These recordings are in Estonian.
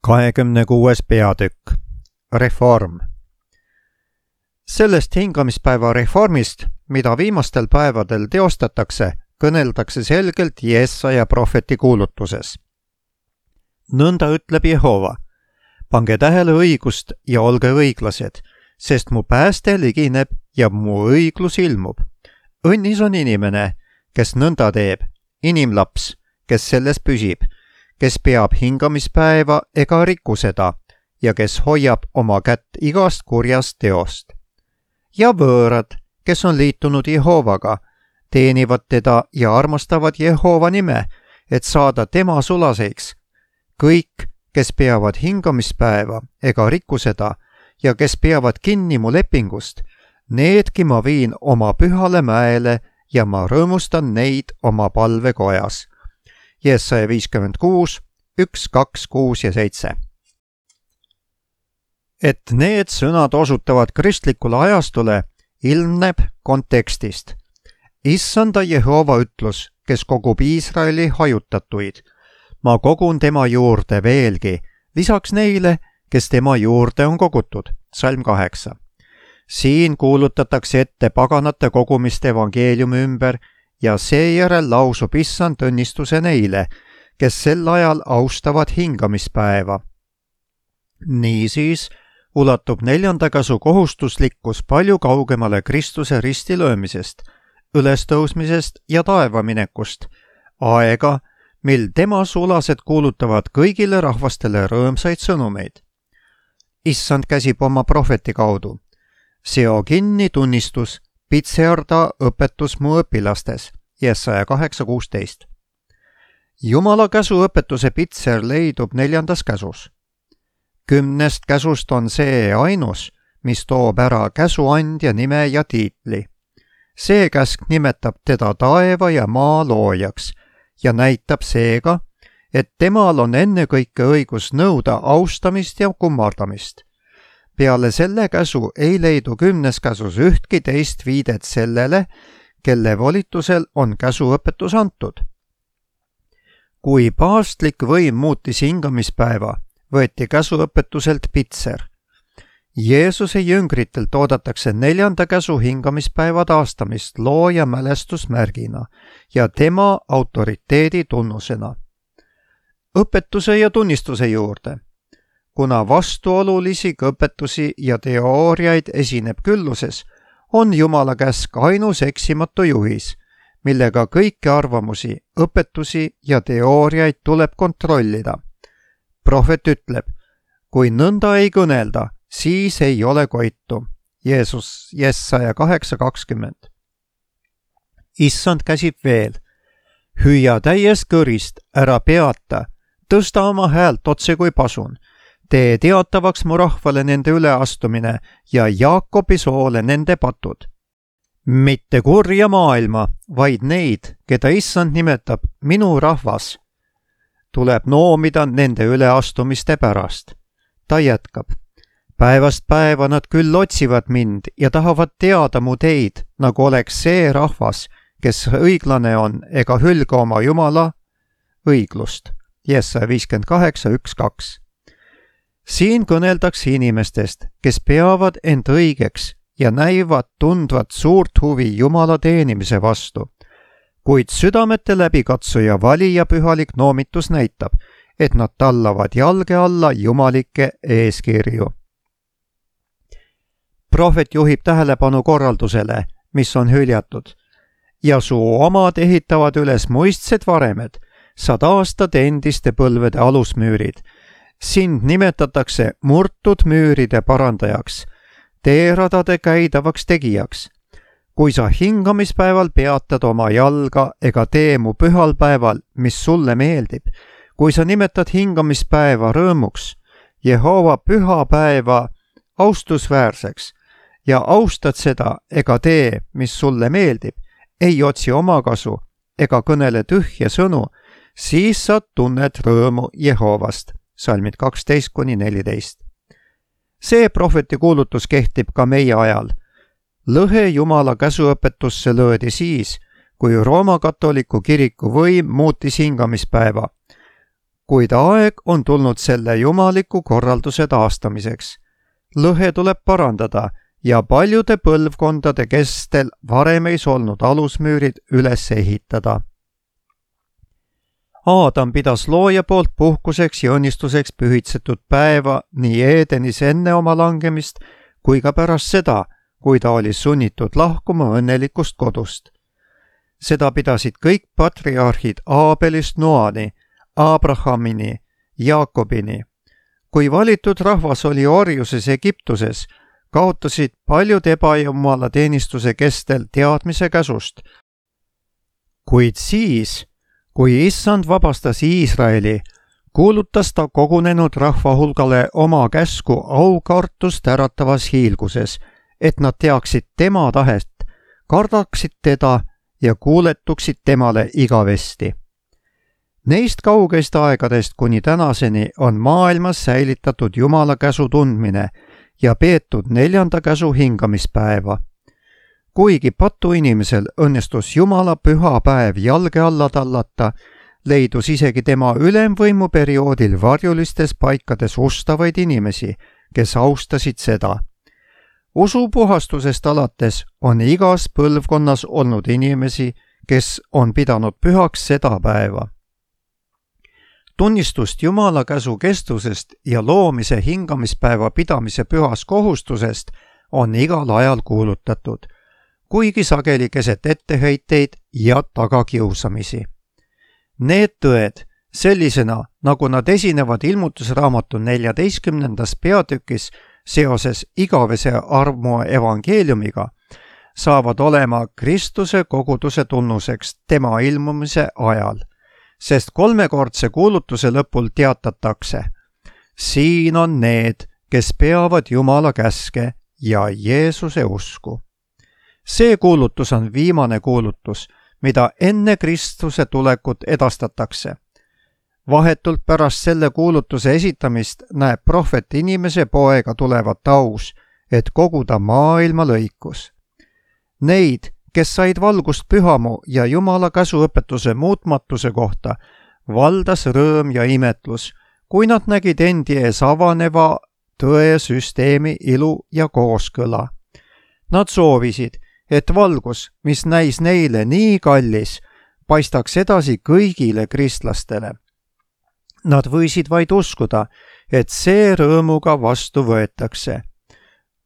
26. peatükk. Reform. Sellest hingamispäeva reformist, mida viimastel päevadel teostatakse, kõneldakse selgelt Jesaja prohveti kuulutuses. Nõnda ütleb Jehova: pange tähele õigust ja olge õiglased, sest mu pääste ligineb ja mu õiglus ilmub. Õnnis on inimene, kes nõnda teeb, inimlaps, kes selles püsib, kes peab hingamispäeva ega riku seda ja kes hoiab oma kätt igast kurjast teost. Ja võõrad, kes on liitunud Jehovaga, teenivad teda ja armastavad Jehova nime, et saada tema sulaseks. Kõik, kes peavad hingamispäeva ega riku seda ja kes peavad kinni mu lepingust, needki ma viin oma pühale mäele ja ma rõõmustan neid oma palvekojas. Jesaja 56, 1, 2, 6 ja 7. Et need sõnad osutavad kristlikule ajastule, ilmneb kontekstist. Issanda Jehova ütlus, kes kogub Iisraeli hajutatuid. Ma kogun tema juurde veelgi, lisaks neile, kes tema juurde on kogutud. Salm 8. Siin kuulutatakse ette paganate kogumist evangeeliumi ümber ja seejärel lausub Issand õnnistuse neile, kes sel ajal austavad hingamispäeva. Niisiis ulatub 4. käsu kohustuslikkus palju kaugemale Kristuse ristilöömisest, ülestõusmisest ja taevaminekust, aega, mil tema sulased kuulutavad kõigile rahvastele rõõmsaid sõnumeid. Issand käsib oma prohveti kaudu. Seo kinni tunnistus, pitsearda õpetus mu õpilastes, Jesaja 8.16. Jumala käsu õpetuse pitser leidub 4. käsus. 10 käsust on see ainus, mis toob ära käsuandja nime ja tiitli. See käsk nimetab teda taeva ja maa loojaks ja näitab seega, et temal on ennekõike õigus nõuda austamist ja kummardamist. Peale selle käsu ei leidu 10 käsus ühtki teist viidet sellele, kelle volitusel on käsuõpetus antud. Kui paavstlik võim muutis hingamispäeva, võeti käsuõpetuselt pitser. Jeesuse jüngritelt oodatakse 4. käsu hingamispäeva taastamist looja mälestusmärgina ja tema autoriteedi tunnusena. Õpetuse ja tunnistuse juurde. Kuna vastuolulisi õpetusi ja teooriaid esineb külluses, on Jumala käsk ainus eksimatu juhis, millega kõiki arvamusi, õpetusi ja teooriaid tuleb kontrollida. Prohvet ütleb, kui nõnda ei kõnelda, siis ei ole koitu. Jeesus, Jesaja 8.20. Issand käsib veel. Hüüa täiest kõrist, ära peata, tõsta oma häält otse kui pasun. Tee teatavaks mu rahvale nende üleastumine ja Jaakobi soole nende patud. Mitte kurja maailma, vaid neid, keda Issand nimetab minu rahvas, tuleb noomida nende üleastumiste pärast. Ta jätkab. Päevast päeva nad küll otsivad mind ja tahavad teada mu teid, nagu oleks see rahvas, kes õiglane on ega hülga oma Jumala õiglust. Jesaja 58, 1, 2. Siin kõneldakse inimestest, kes peavad end õigeks ja näivad tundvat suurt huvi Jumala teenimise vastu. Kuid südamete läbikatsuja valija pühalik noomitus näitab, et nad tallavad jalge alla jumalikke eeskirju. Prohvet juhib tähelepanu korraldusele, mis on hüljatud. Ja su omad ehitavad üles muistsed varemed, sa taastad endiste põlvede alusmüürid. Sind nimetatakse murtud müüride parandajaks, teeradade käidavaks tegijaks. Kui sa hingamispäeval peatad oma jalga ega tee mu pühal päeval, mis sulle meeldib, kui sa nimetad hingamispäeva rõõmuks, Jehova pühapäeva austusväärseks ja austad seda ega tee, mis sulle meeldib, ei otsi omakasu ega kõnele tühje sõnu, siis sa tunned rõõmu Jehovast. Salmid 12-14. See prohveti kuulutus kehtib ka meie ajal. Lõhe Jumala käsuõpetusse löödi siis, kui Rooma katoliku kiriku võim muutis hingamispäeva. kuid aeg on tulnud selle jumaliku korralduse taastamiseks. Lõhe tuleb parandada ja paljude põlvkondade kestel varem ees olnud alusmüürid üles ehitada. Aadam pidas looja poolt puhkuseks ja õnnistuseks pühitsetud päeva nii Eedenis enne oma langemist kui ka pärast seda, kui ta oli sunnitud lahkuma õnnelikust kodust. Seda pidasid kõik patriarhid Aabelist Noani, Abrahamini, Jaakobini. Kui valitud rahvas oli orjuses Egiptuses, kaotasid paljud ebajumala teenistuse kestel teadmise käsust. Kuid siis, kui Issand vabastas Iisraeli, kuulutas ta kogunenud rahva hulgale oma käsku aukartust äratavas hiilguses, et nad teaksid tema tahet, kardaksid teda ja kuuletuksid temale igavesti. Neist kaugeist aegadest kuni tänaseni on maailmas säilitatud Jumala käsu tundmine ja peetud 4. käsu hingamispäeva. Kuigi patuinimesel õnnestus Jumala püha päev jalge alla tallata, leidus isegi tema ülemvõimu perioodil varjulistes paikades ustavaid inimesi, kes austasid seda. Usupuhastusest alates on igas põlvkonnas olnud inimesi, kes on pidanud pühaks seda päeva. Tunnistust Jumala käsu kestusest ja loomise hingamispäeva pidamise pühas kohustusest on igal ajal kuulutatud, kuigi sageli keset etteheiteid ja tagakiusamisi. Need tõed, sellisena nagu nad esinevad ilmutusraamatu 14. peatükis seoses igavese armu evangeeliumiga, saavad olema Kristuse koguduse tunnuseks tema ilmumise ajal, sest 3-kordse kuulutuse lõpul teatatakse: siin on need, kes peavad Jumala käske ja Jeesuse usku. See kuulutus on viimane kuulutus, mida enne Kristuse tulekut edastatakse. Vahetult pärast selle kuulutuse esitamist näeb prohvet inimese poega tulevat aus, et koguda maailma lõikus. Neid, kes said valgust pühamu ja Jumala käsuõpetuse muutmatuse kohta, valdas rõõm ja imetlus, kui nad nägid endi ees avaneva tõe süsteemi ilu ja kooskõla. Nad soovisid, et valgus, mis näis neile nii kallis, paistaks edasi kõigile kristlastele. Nad võisid vaid uskuda, et see rõõmuga vastu võetakse.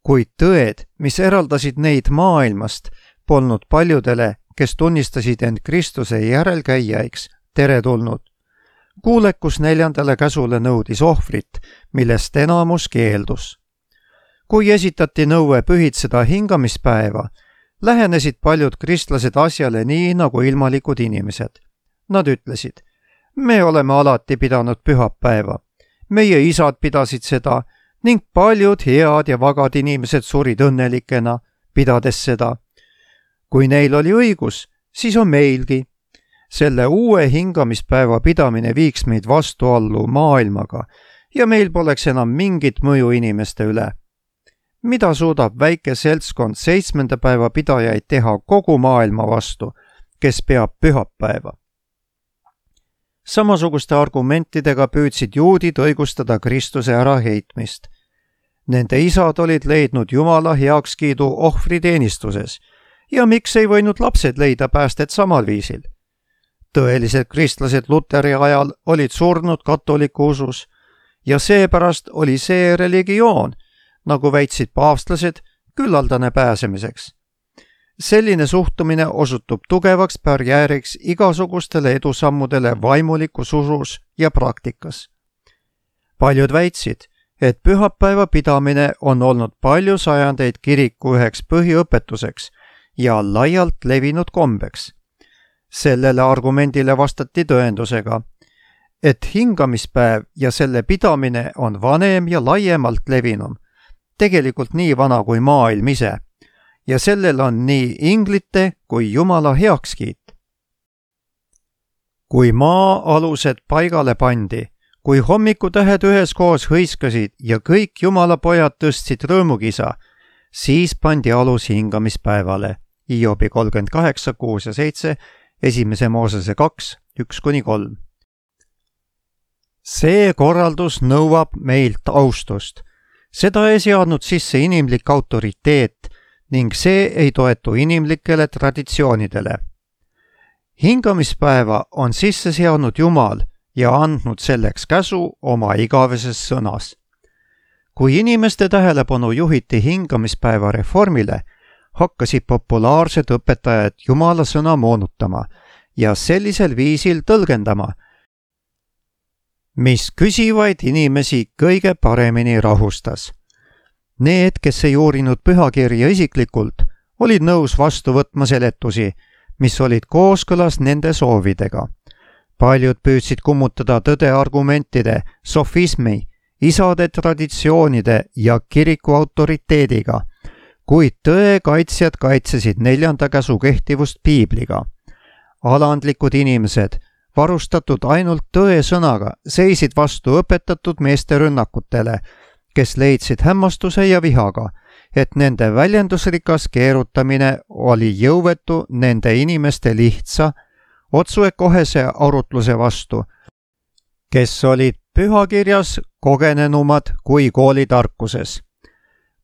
Kuid tõed, mis eraldasid neid maailmast, polnud paljudele, kes tunnistasid end Kristuse järelkäijaiks, teretulnud. Kuulekus 4. käsule nõudis ohvrit, millest enamus keeldus. Kui esitati nõue pühitseda hingamispäeva, lähenesid paljud kristlased asjale nii nagu ilmalikud inimesed. Nad ütlesid: me oleme alati pidanud pühapäeva. Meie isad pidasid seda ning paljud head ja vagad inimesed surid õnnelikena, pidades seda. Kui neil oli õigus, siis on meilgi. Selle uue hingamispäeva pidamine viiks meid vastuallu maailmaga ja meil poleks enam mingit mõju inimeste üle. Mida suudab väike seltskond 7. päeva pidajaid teha kogu maailma vastu, kes peab pühapäeva? Samasuguste argumentidega püüdsid juudid õigustada Kristuse äraheitmist. Nende isad olid leidnud Jumala heakskiidu ohvriteenistuses ja miks ei võinud lapsed leida päästet samal viisil? Tõelised kristlased Luteri ajal olid surnud katoliku usus ja seepärast oli see religioon, nagu väitsid paavstlased, küllaldane pääsemiseks. Selline suhtumine osutub tugevaks barjääriks igasugustele edusammudele vaimulikus usus ja praktikas. Paljud väitsid, et pühapäeva pidamine on olnud palju sajandeid kiriku üheks põhiõpetuseks ja laialt levinud kombeks. Sellele argumendile vastati tõendusega, et hingamispäev ja selle pidamine on vanem ja laiemalt levinum, tegelikult nii vana kui maailm ise, ja sellel on nii inglite kui Jumala heakskiit. Kui maa alused paigale pandi, kui hommikutähed üheskoos hõiskasid ja kõik Jumala pojad tõstsid rõõmukisa, siis pandi alus hingamispäevale. Hiobi 38, 6 ja 7, 1. Moosese 2, 1-3. See korraldus nõuab meilt austust. Seda ei seadnud sisse inimlik autoriteet ning see ei toetu inimlikele traditsioonidele. Hingamispäeva on sisse seadnud Jumal ja andnud selleks käsu oma igaveses sõnas. Kui inimeste tähelepanu juhiti hingamispäeva reformile, hakkasid populaarsed õpetajad Jumala sõna moonutama ja sellisel viisil tõlgendama, mis küsivaid inimesi kõige paremini rahustas. Need, kes ei uurinud pühakirja isiklikult, olid nõus vastu võtma seletusi, mis olid kooskõlas nende soovidega. Paljud püüdsid kummutada tõde argumentide, sofismi, isade traditsioonide ja kiriku autoriteediga, kuid tõe kaitsjad kaitsesid 4. käsu kehtivust piibliga. Alandlikud inimesed, varustatud ainult tõe sõnaga, seisid vastu õpetatud meeste rünnakutele, kes leidsid hämmastuse ja vihaga, et nende väljendusrikas keerutamine oli jõuetu nende inimeste lihtsa, otsuekohese arutluse vastu, kes olid pühakirjas kogenenumad kui koolitarkuses.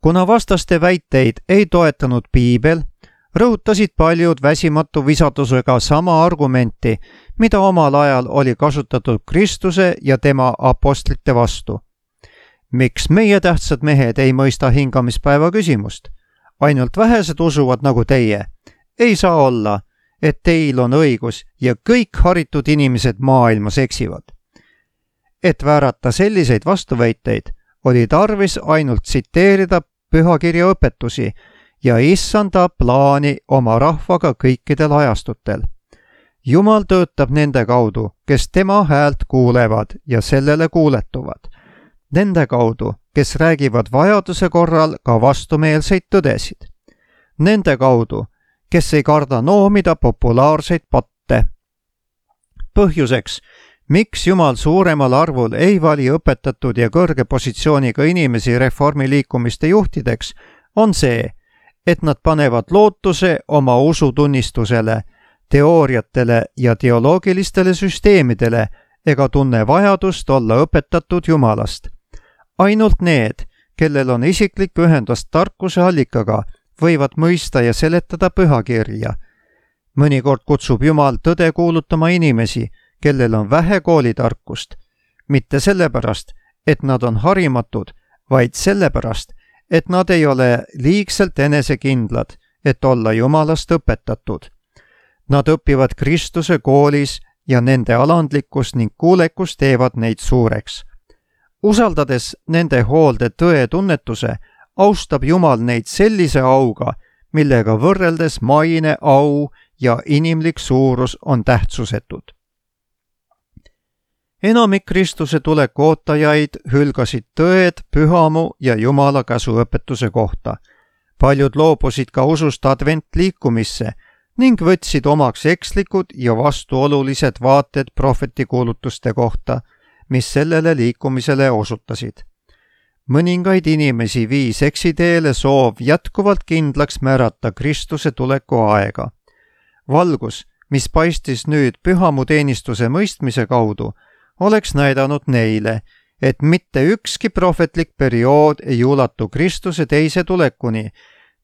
Kuna vastaste väiteid ei toetanud piibel, rõhutasid paljud väsimatu visadusega sama argumenti, mida omal ajal oli kasutatud Kristuse ja tema apostlite vastu. Miks meie tähtsad mehed ei mõista hingamispäeva küsimust? Ainult vähesed usuvad nagu teie. Ei saa olla, et teil on õigus ja kõik haritud inimesed maailmas eksivad. Et väärata selliseid vastuväiteid, oli tarvis ainult tsiteerida pühakirja õpetusi ja issanda plaani oma rahvaga kõikidel ajastutel. Jumal töötab nende kaudu, kes tema häält kuulevad ja sellele kuuletuvad. Nende kaudu, kes räägivad vajaduse korral ka vastumeelseid tõdesid. Nende kaudu, kes ei karda noomida populaarseid patte. Põhjuseks, miks Jumal suuremal arvul ei vali õpetatud ja kõrge positsiooniga inimesi reformiliikumiste juhtideks, on see, et nad panevad lootuse oma usutunnistusele, teooriatele ja teoloogilistele süsteemidele ega tunne vajadust olla õpetatud Jumalast. Ainult need, kellel on isiklik ühendus tarkuse allikaga, võivad mõista ja seletada pühakirja. Mõnikord kutsub Jumal tõde kuulutama inimesi, kellel on vähe koolitarkust, mitte sellepärast, et nad on harimatud, vaid sellepärast, et nad ei ole liigselt enesekindlad, et olla Jumalast õpetatud. Nad õpivad Kristuse koolis ja nende alandlikkus ning kuulekus teevad neid suureks. Usaldades nende hoolde tõe tunnetuse, austab Jumal neid sellise auga, millega võrreldes maine, au ja inimlik suurus on tähtsusetud. Enamik Kristuse tuleku ootajaid hülgasid tõed pühamu ja Jumala käsuõpetuse kohta. Paljud loobusid ka usust adventliikumisse ning võtsid omaks ekslikud ja vastuolulised vaated prohvetikuulutuste kohta, mis sellele liikumisele osutasid. Mõningaid inimesi viis eksiteele soov jätkuvalt kindlaks määrata Kristuse tuleku aega. Valgus, mis paistis nüüd pühamuteenistuse mõistmise kaudu, oleks näidanud neile, et mitte ükski prohvetlik periood ei ulatu Kristuse teise tulekuni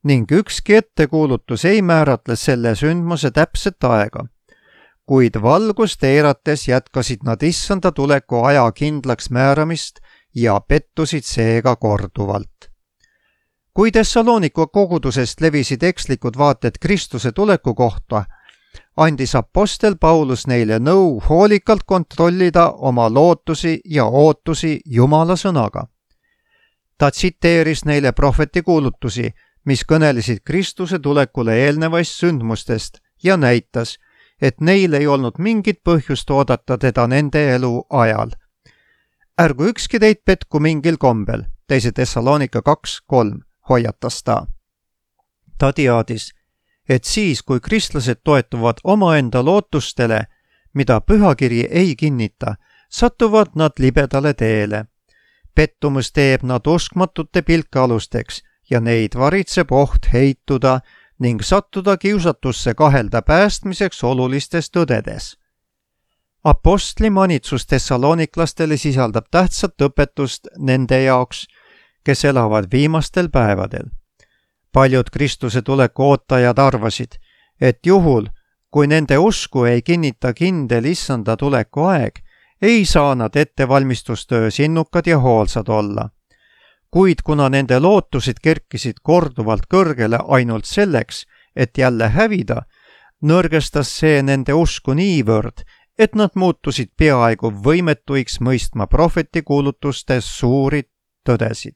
ning ükski ettekuulutus ei määratle selle sündmuse täpset aega. Kuid valgust eirates jätkasid nad issanda tuleku aja kindlaks määramist ja pettusid seega korduvalt. Kui Thessaloniku kogudusest levisid ekslikud vaated Kristuse tuleku kohta, andis apostel Paulus neile nõu hoolikalt kontrollida oma lootusi ja ootusi Jumala sõnaga. Ta tsiteeris neile prohvetikuulutusi, mis kõnelesid Kristuse tulekule eelnevaist sündmustest ja näitas, et neil ei olnud mingit põhjust oodata teda nende elu ajal. Ärgu ükski teid petku mingil kombel, 2. Thessalonika 2:3 hoiatas ta. Ta teadis, et siis, kui kristlased toetuvad omaenda lootustele, mida pühakiri ei kinnita, satuvad nad libedale teele. Pettumus teeb nad uskmatute pilkealusteks ja neid varitseb oht heituda ning sattuda kiusatusse kahelda päästmiseks olulistes tõdedes. Apostli manitsus tessaloniklastele sisaldab tähtsat õpetust nende jaoks, kes elavad viimastel päevadel. Paljud Kristuse tuleku ootajad arvasid, et juhul, kui nende usku ei kinnita kindel issanda tuleku aeg, ei saa nad ettevalmistustöös innukad ja hoolsad olla. Kuid kuna nende lootused kerkisid korduvalt kõrgele ainult selleks, et jälle hävida, nõrgestas see nende usku niivõrd, et nad muutusid peaaegu võimetuiks mõistma prohveti kuulutustes suuri tõdesid.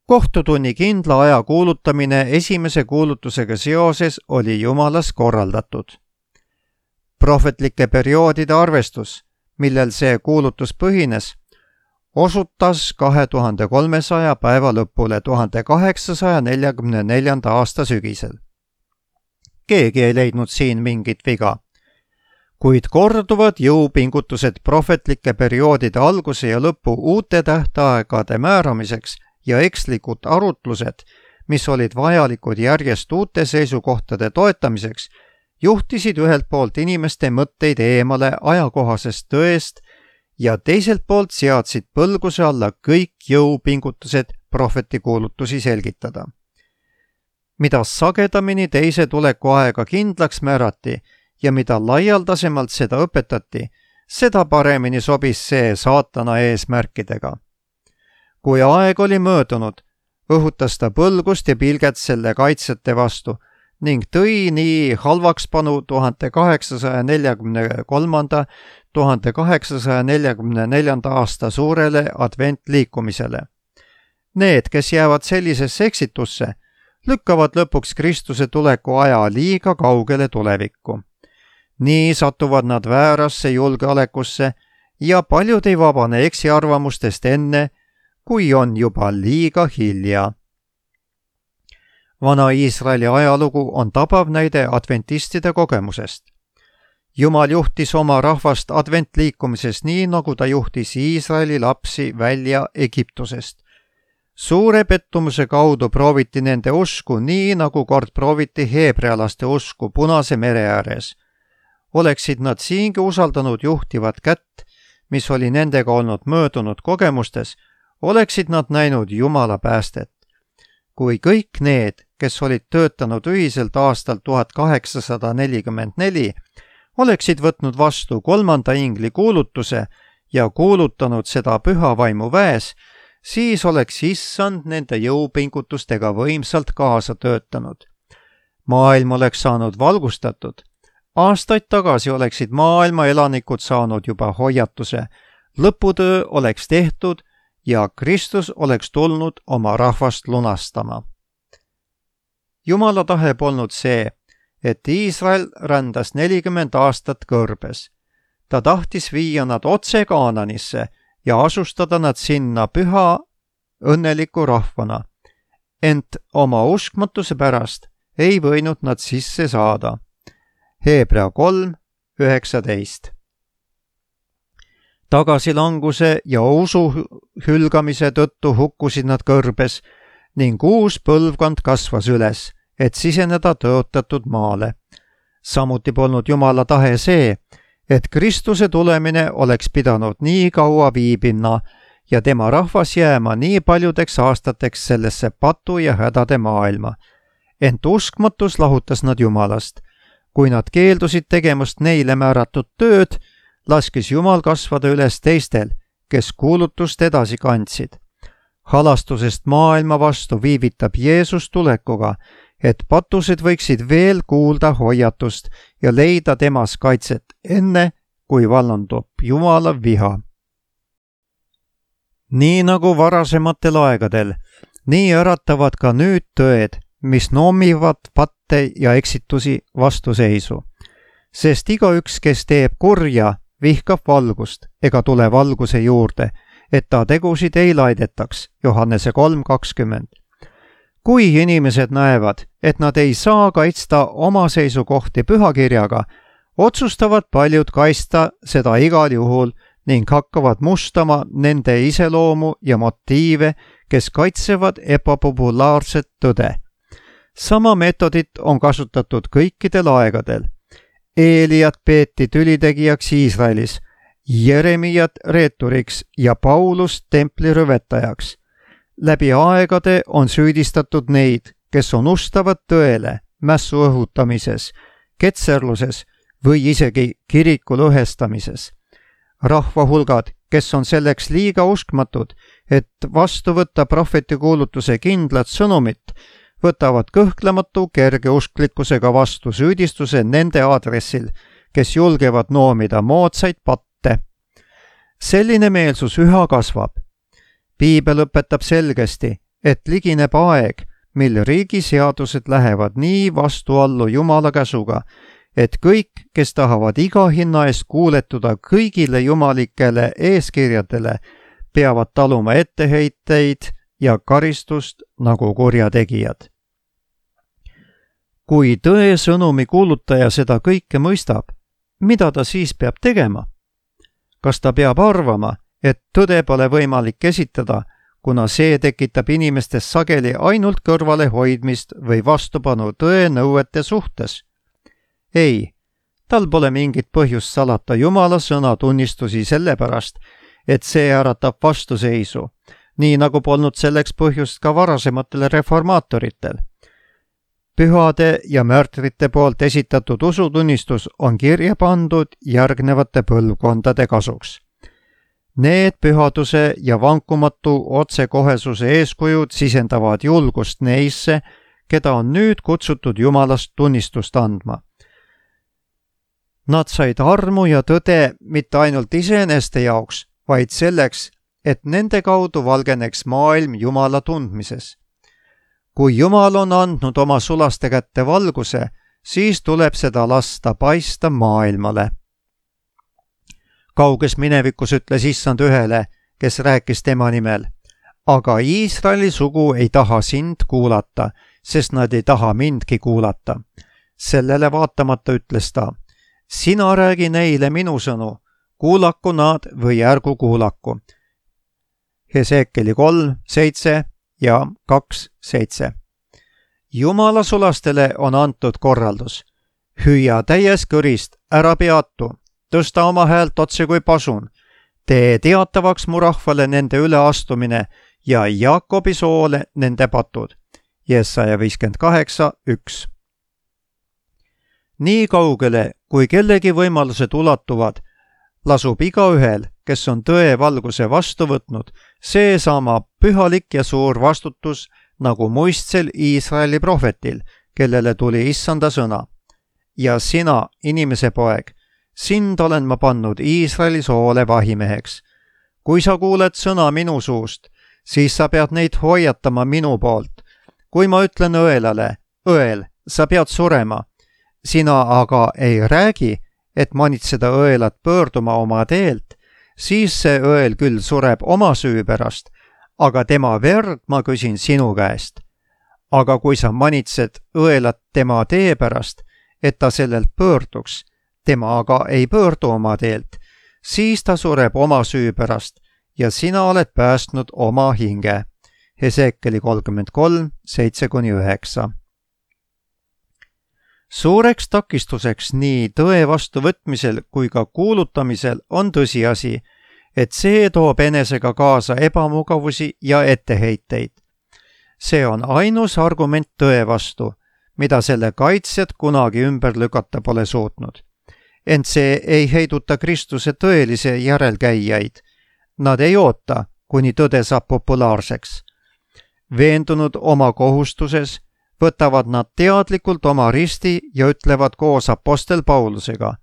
Kohtutunni kindla aja kuulutamine esimese kuulutusega seoses oli Jumalas korraldatud. Prohvetlike perioodide arvestus, millel see kuulutus põhines, osutas 2300 päeva lõpule 1844. aasta sügisel. Keegi ei leidnud siin mingit viga. Kuid korduvad jõupingutused prohvetlike perioodide alguse ja lõpu uute tähtaegade määramiseks ja ekslikud arutlused, mis olid vajalikud järjest uute seisukohtade toetamiseks, juhtisid ühelt poolt inimeste mõtteid eemale ajakohasest tõest ja teiselt poolt seadsid põlguse alla kõik jõupingutused prohveti kuulutusi selgitada. Mida sagedamini teise tuleku aega kindlaks määrati ja mida laialdasemalt seda õpetati, seda paremini sobis see saatana eesmärkidega. Kui aeg oli möödunud, õhutas ta põlgust ja pilget selle kaitsjate vastu ning tõi nii halvakspanu 1843.–1844. aasta suurele adventliikumisele. Need, kes jäävad sellisesse eksitusse, lükkavad lõpuks Kristuse tuleku aja liiga kaugele tulevikku. Nii satuvad nad väärasse julgeolekusse ja paljud ei vabane eksiarvamustest enne, kui on juba liiga hilja. Vana Iisraeli ajalugu on tabav näide adventistide kogemusest. Jumal juhtis oma rahvast adventliikumises nii, nagu ta juhtis Iisraeli lapsi välja Egiptusest. Suure pettumuse kaudu prooviti nende usku nii, nagu kord prooviti heebrealaste usku Punase mere ääres. Oleksid nad siingi usaldanud juhtivat kätt, mis oli nendega olnud möödunud kogemustes, oleksid nad näinud Jumala päästet. Kui kõik need, kes olid töötanud ühiselt aastal 1844, oleksid võtnud vastu 3. ingli kuulutuse ja kuulutanud seda püha vaimu väes, siis oleks issand nende jõupingutustega võimsalt kaasa töötanud. Maailm oleks saanud valgustatud. Aastaid tagasi oleksid maailma elanikud saanud juba hoiatuse. Lõputöö oleks tehtud ja Kristus oleks tulnud oma rahvast lunastama. Jumala tahe polnud see, et Iisrael rändas 40 aastat kõrbes. Ta tahtis viia nad otse Kaananisse ja asustada nad sinna püha õnneliku rahvana. Ent oma uskmatuse pärast ei võinud nad sisse saada. Hebra 3:19. Tagasilanguse ja usu hülgamise tõttu hukkusid nad kõrbes ning uus põlvkond kasvas üles, et siseneda tõotatud maale. Samuti polnud Jumala tahe see, et Kristuse tulemine oleks pidanud nii kaua viibima ja tema rahvas jääma nii paljudeks aastateks sellesse patu ja hädade maailma. Ent uskmatus lahutas nad Jumalast. Kui nad keeldusid tegemast neile määratud tööd, laskis Jumal kasvada üles teistel, kes kuulutust edasi kandsid. Halastusest maailma vastu viivitab Jeesus tulekuga, et patused võiksid veel kuulda hoiatust ja leida temas kaitset enne, kui vallandub Jumala viha. Nii nagu varasematel aegadel, nii äratavad ka nüüd tõed, mis noomivad patte ja eksitusi vastuseisu. Sest igaüks, kes teeb kurja, vihkab valgust ega tule valguse juurde, et ta tegusid ei laidetaks. Johannese 3:20. Kui inimesed näevad, et nad ei saa kaitsta oma seisukohti pühakirjaga, otsustavad paljud kaitsta seda igal juhul ning hakkavad mustama nende iseloomu ja motiive, kes kaitsevad ebapopulaarset tõde. Sama meetodit on kasutatud kõikidel aegadel. Eeliat peeti tülitegijaks Iisraelis, Jeremiat reeturiks ja Paulust templi rüvetajaks. Läbi aegade on süüdistatud neid, kes on ustavad tõele mässu õhutamises, ketserluses või isegi kiriku lõhestamises. Rahvahulgad, kes on selleks liiga uskmatud, et vastu võtta prohvetikuulutuse kindlat sõnumit, võtavad kõhklematu kergeusklikkusega vastu süüdistuse nende aadressil, kes julgevad noomida moodsaid patte. Selline meelsus üha kasvab. Piibel õpetab selgesti, et ligineb aeg, mil riigi seadused lähevad nii vastuallu Jumala käsuga, et kõik, kes tahavad iga hinna eest kuuletuda kõigile jumalikele eeskirjadele, peavad taluma etteheiteid ja karistust nagu kurjategijad. Kui tõe sõnumi kuulutaja seda kõike mõistab, mida ta siis peab tegema? Kas ta peab arvama, et tõde pole võimalik esitada, kuna see tekitab inimestes sageli ainult kõrvalehoidmist või vastupanu tõe nõuete suhtes? Ei, tal pole mingit põhjust salata Jumala sõna tunnistusi sellepärast, et see äratab vastuseisu, nii nagu polnud selleks põhjust ka varasematel reformaatoritel. Pühade ja märtrite poolt esitatud usutunnistus on kirja pandud järgnevate põlvkondade kasuks. Need pühaduse ja vankumatu otsekohesuse eeskujud sisendavad julgust neisse, keda on nüüd kutsutud Jumalast tunnistust andma. Nad said armu ja tõde mitte ainult iseeneste jaoks, vaid selleks, et nende kaudu valgeneks maailm Jumala tundmises. Kui Jumal on andnud oma sulaste kätte valguse, siis tuleb seda lasta paista maailmale. Kauges minevikus ütles Issand ühele, kes rääkis tema nimel, aga Iisraeli sugu ei taha sind kuulata, sest nad ei taha mindki kuulata. Sellele vaatamata ütles ta, sina räägi neile minu sõnu, kuulaku nad või ärgu kuulaku. Heseekeli 3:7 ja 2:7. Jumala sulastele on antud korraldus. Hüüa täies kõrist, ära peatu, tõsta oma häält otse kui pasun, tee teatavaks mu rahvale nende üleastumine ja Jaakobi soole nende patud. Jesaja 58:1. Nii kaugele, kui kellegi võimalused ulatuvad, lasub igaühel, kes on tõe valguse vastu võtnud, seesama pühalik ja suur vastutus nagu muistsel Iisraeli prohvetil, kellele tuli Issanda sõna. Ja sina, inimese poeg, sind olen ma pannud Iisraeli soole vahimeheks. Kui sa kuuled sõna minu suust, siis sa pead neid hoiatama minu poolt. Kui ma ütlen õelale, õel, sa pead surema, sina aga ei räägi, et manitseda õelat pöörduma oma teelt, siis see õel küll sureb oma süü pärast, aga tema verd ma küsin sinu käest. Aga kui sa manitsed õelat tema tee pärast, et ta sellelt pöörduks, tema aga ei pöördu oma teelt, siis ta sureb oma süü pärast ja sina oled päästnud oma hinge. Heseekeli 33:7-9. Suureks takistuseks nii tõe vastuvõtmisel kui ka kuulutamisel on tõsiasi, et see toob enesega kaasa ebamugavusi ja etteheiteid. See on ainus argument tõe vastu, mida selle kaitsjad kunagi ümber lükata pole suutnud. Ent see ei heiduta Kristuse tõelise järelkäijaid. Nad ei oota, kuni tõde saab populaarseks. Veendunud oma kohustuses, võtavad nad teadlikult oma risti ja ütlevad koos apostel Paulusega,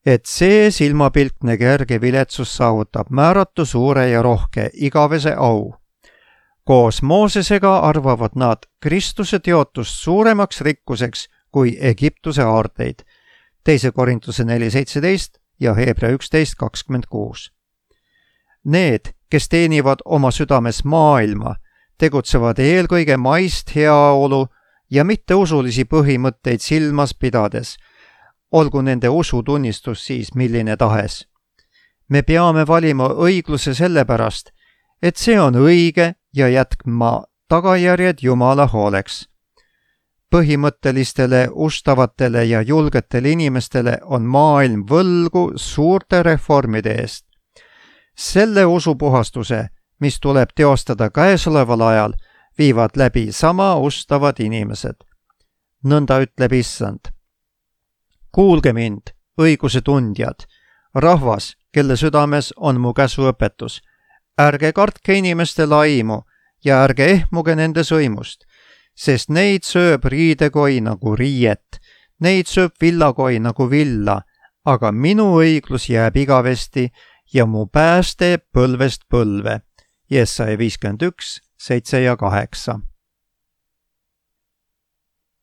et see silmapiltne kerge viletsus saavutab määratu suure ja rohke igavese au. Koos Moosesega arvavad nad Kristuse teotust suuremaks rikkuseks kui Egiptuse aarteid. 2. Korintuse 4:17 ja Hebra 11:26. Need, kes teenivad oma südames maailma, tegutsevad eelkõige maist heaolu ja mitteusulisi põhimõtteid silmas pidades, olgu nende usutunnistus siis milline tahes. Me peame valima õigluse sellepärast, et see on õige ja jätma tagajärjed Jumala hooleks. Põhimõttelistele, ustavatele ja julgetele inimestele on maailm võlgu suurte reformide eest. Selle usupuhastuse, mis tuleb teostada käesoleval ajal, viivad läbi sama ustavad inimesed. Nõnda ütleb Issand. Kuulge mind, õiguse tundjad, rahvas, kelle südames on mu käsuõpetus. Ärge kartke inimeste laimu ja ärge ehmuge nende sõimust, sest neid sööb riidekoi nagu riiet, neid sööb villakoi nagu villa, aga minu õiglus jääb igavesti ja mu pääste põlvest põlve. Jesaja 51, 7 ja 8.